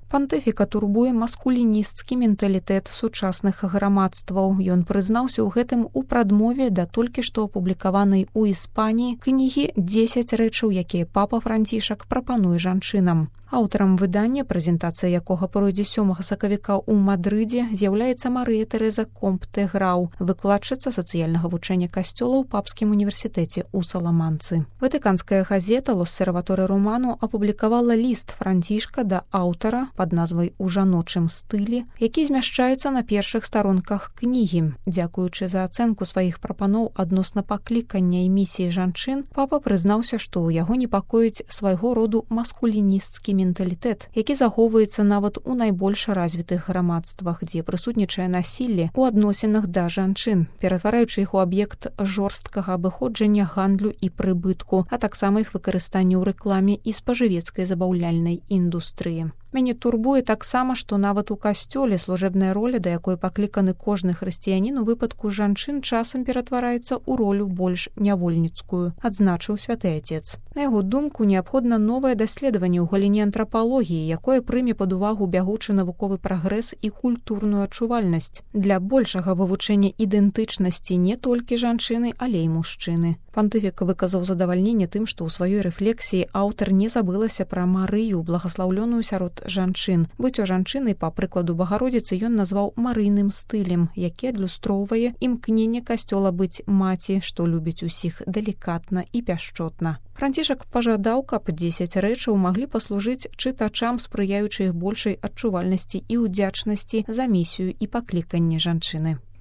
Пантыфіка турбуе маскулінісцкі менталітэт сучасных грамадстваў. Ён прызнаўся ў гэтым у прадмове да толькі што апублікаванай у Іспаніі кнігі «10 рэчаў, якія папа Францішак прапануе жанчынам». Аўтарам выдання, прэзентацыя якога пройдзе 7 сакавіка ў Мадрыдзе, з'яўляецца Марыя Тэрэза Компте-Грау, выкладчыца сацыяльнага вучэння касцёла ў Папскім універсітэце ў Саламанцы. Ватыканская газета «L'Osservatore Romano» апублікавала ліст Францішка да аўтара пад назвай «У жаночым стылі», які змяшчаецца на першых старонках кнігі. Дзякуючы за ацэнку сваіх прапаноў адносна паклікання і місіі жанчын, папа прызнаўся, што ў яго непакоіць свайго роду маскулінісцкі менталітэт, які захоўваецца нават у найбольш развітых грамадствах, дзе прысутнічае насілле ў адносінах да жанчын, ператвараючы іх у аб'ект жорсткага абыходжання, гандлю і прыбытку, а таксама іх выкарыстання ў рэкламе і спажывецкай забаўляльнай індустрыі. Мяне турбуе таксама, што нават у касцёле служэбная роля, да якой пакліканы кожны хрысціянін у выпадку жанчын, часам ператвараецца ў ролю больш нявольніцкую, адзначыў святы Отец. На яго думку, неабходна новае даследаванне ў галіне антрапалогіі, якое прыме пад увагу бягучы навуковы прагрэс і культурную адчувальнасць для большага вывучэння ідэнтычнасці не толькі жанчыны, але і мужчыны. Пантыфік выказаў задавальненне тым, што ў сваёй рэфлексіі аўтар не забылася пра Марыю, благаслаўлёную сярод жанчын. Быццё жанчыны, па прыкладу Багародзіцы, ён назваў марыйным стылем, які адлюстроўвае імкненне касцёла быць маці, што любіць усіх далікатна і пяшчотна. Францішак пажадаў, каб 10 рэчаў маглі паслужыць чытачам, спрыяючы іх большай адчувальнасці і ўдзячнасці за місію і пакліканне жанчыны.